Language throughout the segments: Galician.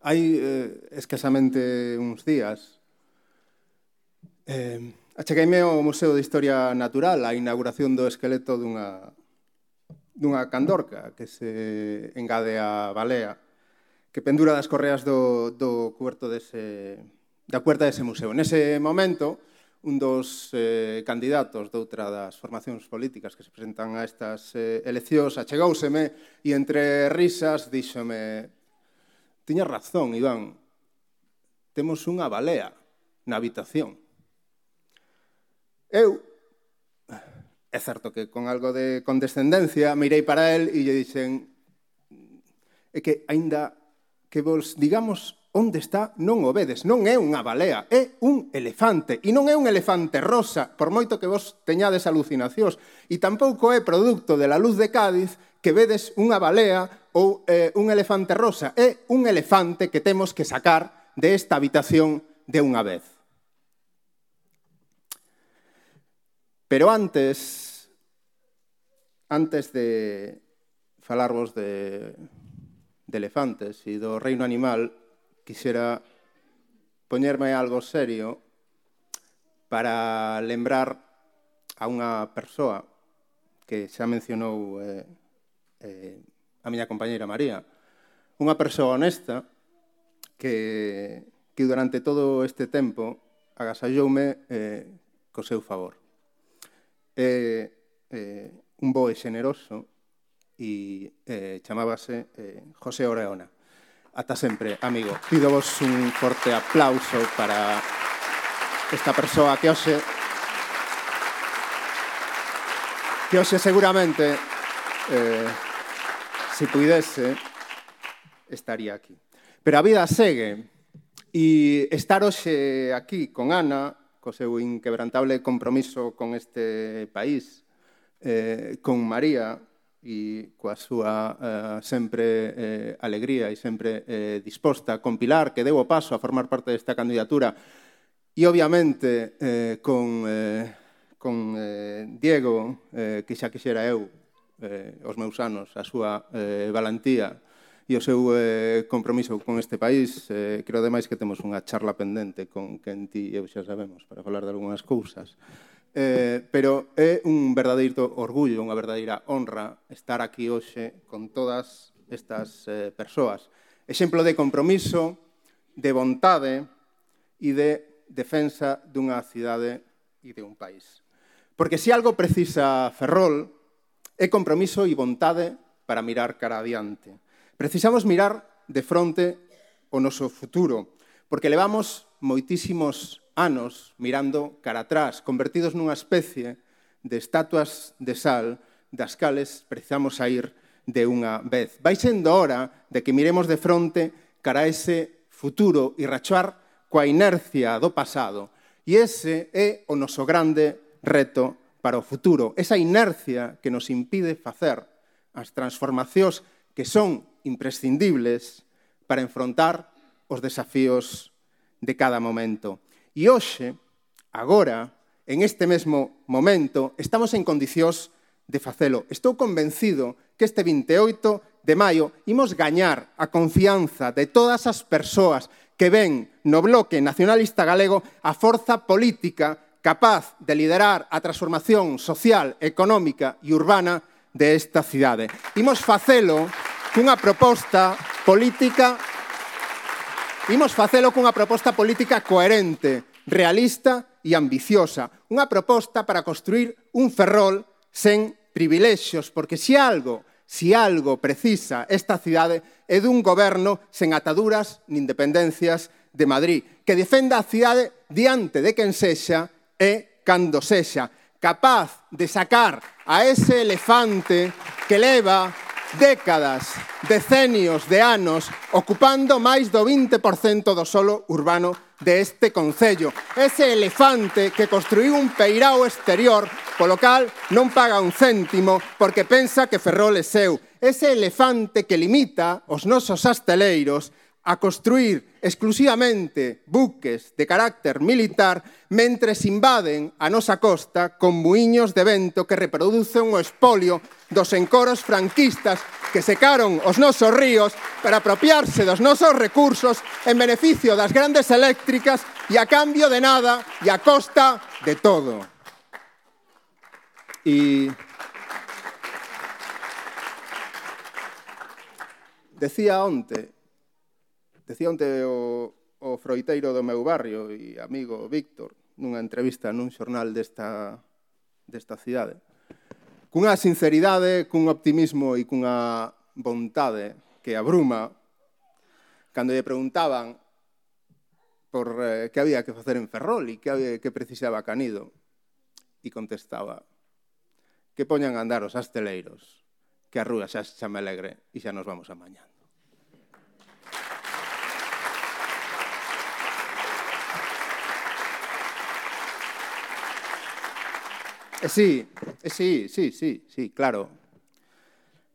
Hai escasamente uns días achegueime ao Museo de Historia Natural a inauguración do esqueleto dunha candorca que se engade á balea que pendura das correas do cuberto da puerta dese museo. Nese momento, un dos candidatos doutra das formacións políticas que se presentan a estas eleccións achegouseme e entre risas díxome: tiñas razón, Iván, temos unha balea na habitación. Eu, é certo que con algo de condescendencia, mirei para él e lle dixen: é que, aínda que vos digamos onde está, non o vedes, non é unha balea, é un elefante. E non é un elefante rosa, por moito que vos teñades alucinacións. E tampouco é produto de la luz de Cádiz que vedes unha balea ou un elefante rosa. É un elefante que temos que sacar desta habitación de unha vez. Pero antes de falarvos de elefantes e do reino animal, quixera poñerme algo serio para lembrar a unha persoa que xa mencionou a miña compañeira María, unha persoa honesta que durante todo este tempo agasalloume co seu favor. Un bo e xeneroso e chamábase José Oreona. Ata sempre, amigo. Pídovos un forte aplauso para esta persoa que hoxe seguramente, se puidese, estaría aquí. Pero a vida segue e estar hoxe aquí con Ana, co seu inquebrantable compromiso con este país, con María e coa súa sempre alegría e sempre disposta, con Pilar, que deu o paso a formar parte desta candidatura, e obviamente con Diego, que xa quixera eu, os meus anos, a súa valentía e o seu compromiso con este país. Creo ademais que temos unha charla pendente con quen ti e eu xa sabemos para falar de algunhas cousas. Pero é un verdadeiro orgullo, unha verdadeira honra estar aquí hoxe con todas estas persoas. Exemplo de compromiso, de vontade e de defensa dunha cidade e de un país. Porque se algo precisa Ferrol é compromiso e vontade para mirar cara adiante. Precisamos mirar de fronte o noso futuro, porque levamos moitísimos anos mirando cara atrás, convertidos nunha especie de estatuas de sal das cales precisamos sair de unha vez. Vai sendo hora de que miremos de fronte cara a ese futuro e rachar coa inercia do pasado. E ese é o noso grande reto para o futuro. Esa inercia que nos impide facer as transformacións que son imprescindibles para enfrontar os desafíos de cada momento. E hoxe, agora, en este mesmo momento, estamos en condicións de facelo. Estou convencido que este 28 de maio imos gañar a confianza de todas as persoas que ven no Bloque Nacionalista Galego a forza política capaz de liderar a transformación social, económica e urbana desta cidade. Imos facelo cunha proposta política coherente, realista e ambiciosa. Unha proposta para construir un Ferrol sen privilexios, porque se algo precisa esta cidade é dun goberno sen ataduras nin dependencias de Madrid, que defenda a cidade diante de quen sexa e cando sexa, capaz de sacar a ese elefante que leva décadas, decenios de anos ocupando máis do 20% do solo urbano deste concello. Ese elefante que construiu un peirao exterior polo cal non paga un céntimo porque pensa que Ferrol é seu. Ese elefante que limita os nosos asteleiros a construir exclusivamente buques de carácter militar mentres invaden a nosa costa con muiños de vento que reproducen o espolio dos encoros franquistas que secaron os nosos ríos para apropiarse dos nosos recursos en beneficio das grandes eléctricas e a cambio de nada e a costa de todo. E decía onte o froiteiro do meu barrio e amigo Víctor nunha entrevista nun xornal desta cidade, cunha sinceridade, cun optimismo e cunha vontade que abruma, cando lle preguntaban por que había que facer en Ferrol e que precisaba Canido, e contestaba que poñan a andar os asteleiros, que a rúa xa se chama alegre e xa nos vamos amañando. Sí, claro.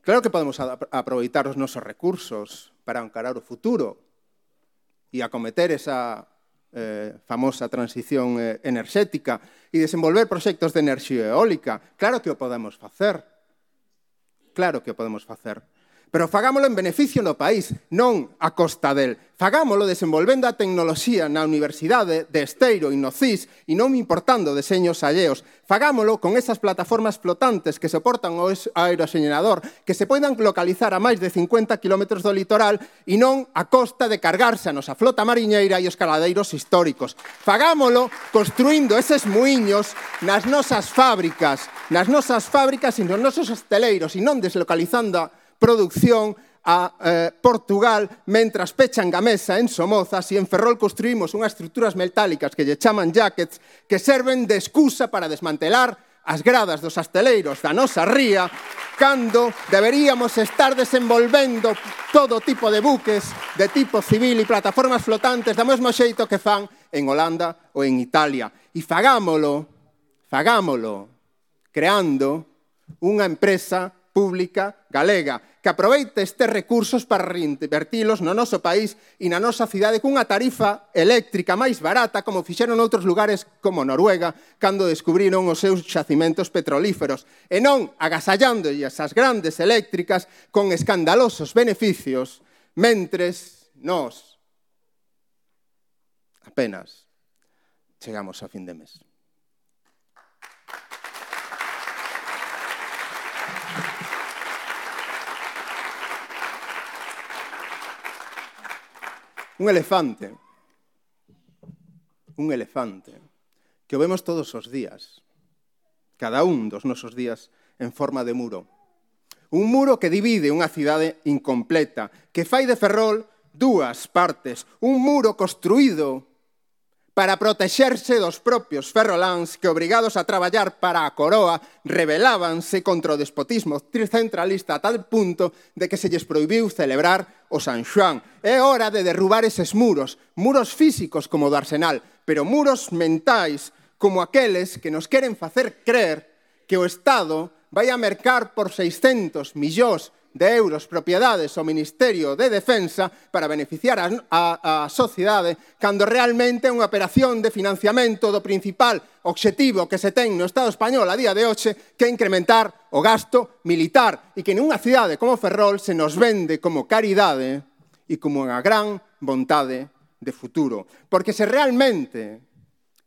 Claro que podemos aproveitar os nosos recursos para encarar o futuro e acometer esa famosa transición enerxética e desenvolver proxectos de enerxía eólica. Claro que o podemos facer. Pero fagámolo en beneficio do país, non a costa del. Fagámolo desenvolvendo a tecnoloxía na Universidade de Esteiro e no CIS e non importando deseños alleos. Fagámolo con esas plataformas flotantes que soportan o aeroxenerador, que se poidan localizar a máis de 50 km do litoral e non a costa de cargarse a nosa flota mariñeira e os caladeiros históricos. Fagámolo construindo eses muiños nas nosas fábricas e nos nosos hosteleiros e non deslocalizando a producción a Portugal, mentras pechan Gamesa en Somozas e en Ferrol construímos unhas estruturas metálicas que lle chaman jackets que serven de excusa para desmantelar as gradas dos asteleiros da nosa ría cando deberíamos estar desenvolvendo todo tipo de buques de tipo civil e plataformas flotantes do mesmo xeito que fan en Holanda ou en Italia. E fagámolo creando unha empresa pública galega que aproveite estes recursos para reinvertilos no noso país e na nosa cidade cunha tarifa eléctrica máis barata como fixeron noutros lugares como Noruega cando descubriron os seus xacimentos petrolíferos e non agasallándolle as grandes eléctricas con escandalosos beneficios mentres nós apenas chegamos a fin de mes. Un elefante que o vemos todos os días, cada un dos nosos días en forma de muro. Un muro que divide unha cidade incompleta, que fai de Ferrol dúas partes. Un muro construído para protexerse dos propios ferroláns que, obrigados a traballar para a coroa, rebelábanse contra o despotismo centralista a tal punto de que se lles prohibiu celebrar o San Xoán. É hora de derrubar eses muros físicos como o do Arsenal, pero muros mentais como aqueles que nos queren facer creer que o Estado vai a mercar por 600 millóns de euros propiedades ao Ministerio de Defensa para beneficiar a sociedade cando realmente é unha operación de financiamento do principal obxectivo que se ten no Estado español a día de hoxe, que é incrementar o gasto militar e que nunha cidade como Ferrol se nos vende como caridade e como unha gran vontade de futuro. Porque se realmente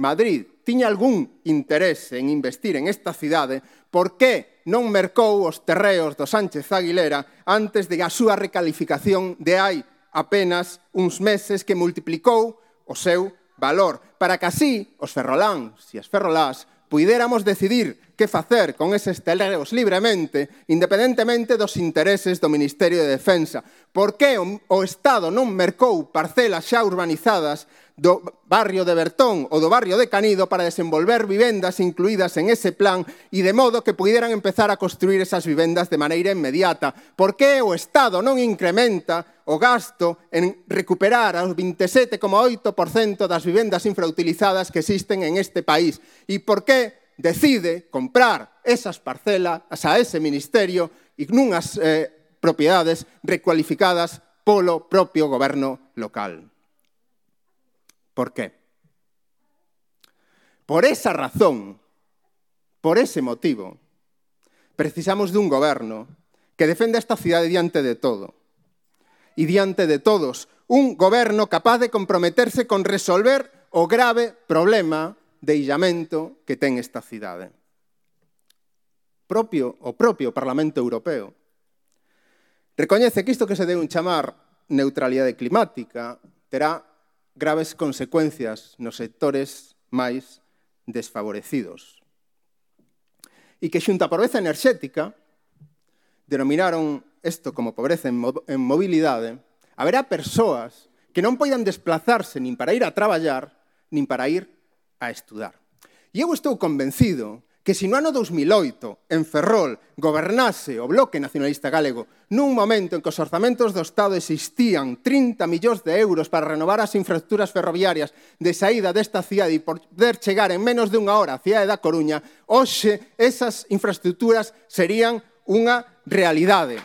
Madrid tiña algún interese en investir en esta cidade, por que non mercou os terreos do Sánchez Aguilera antes de a súa recalificación de hai apenas uns meses que multiplicou o seu valor, para que así os ferroláns e as ferrolás puidéramos decidir que facer con eses terreos libremente, independentemente dos intereses do Ministerio de Defensa. Por que o Estado non mercou parcelas xa urbanizadas do barrio de Bertón ou do barrio de Canido para desenvolver vivendas incluídas en ese plan e de modo que puderan empezar a construir esas vivendas de maneira inmediata? Por que o Estado non incrementa o gasto en recuperar o 27,8% das vivendas infrautilizadas que existen en este país? E por que decide comprar esas parcelas a ese ministerio e nunhas propiedades recualificadas polo propio goberno local? ¿Por qué? Por esa razón, por ese motivo, precisamos dun goberno que defende esta cidade diante de todo. E diante de todos, un goberno capaz de comprometerse con resolver o grave problema de illamento que ten esta cidade. O propio Parlamento Europeo recoñece que isto que se deu en chamar neutralidade climática terá graves consecuencias nos sectores máis desfavorecidos. E que xunto á pobreza enerxética denominaron isto como pobreza en mobilidade, haberá persoas que non poidan desplazarse nin para ir a traballar, nin para ir a estudar. E eu estou convencido que se no ano 2008 en Ferrol gobernase o Bloque Nacionalista Galego nun momento en que os orzamentos do Estado existían 30 millóns de euros para renovar as infraestructuras ferroviarias de saída desta cidade e poder chegar en menos de unha hora á cidade da Coruña, hoxe esas infraestructuras serían unha realidade.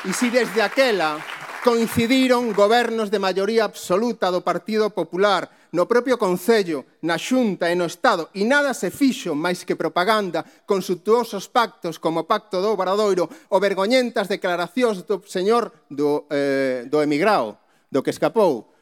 E se desde aquela coincidiron gobernos de maioría absoluta do Partido Popular no propio Concello, na Xunta e no Estado, e nada se fixo máis que propaganda con suntuosos pactos como o Pacto do Obradoiro ou vergoñentas declaracións do señor do emigrao, do que escapou,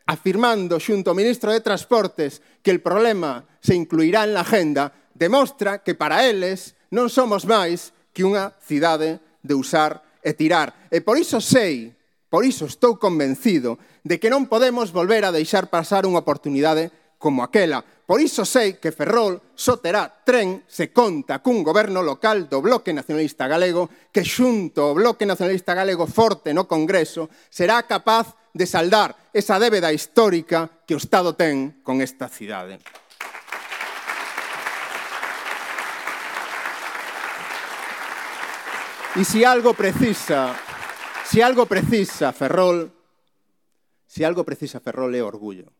afirmando xunto ao ministro de Transportes que el problema se incluirá en la agenda, demostra que para eles non somos máis que unha cidade de usar e tirar. E por iso estou convencido de que non podemos volver a deixar pasar unha oportunidade como aquela. Por iso sei que Ferrol só terá tren se conta cun goberno local do Bloque Nacionalista Galego que xunto ao Bloque Nacionalista Galego forte no Congreso será capaz de saldar esa débeda histórica que o Estado ten con esta cidade. E se algo precisa Ferrol é orgullo.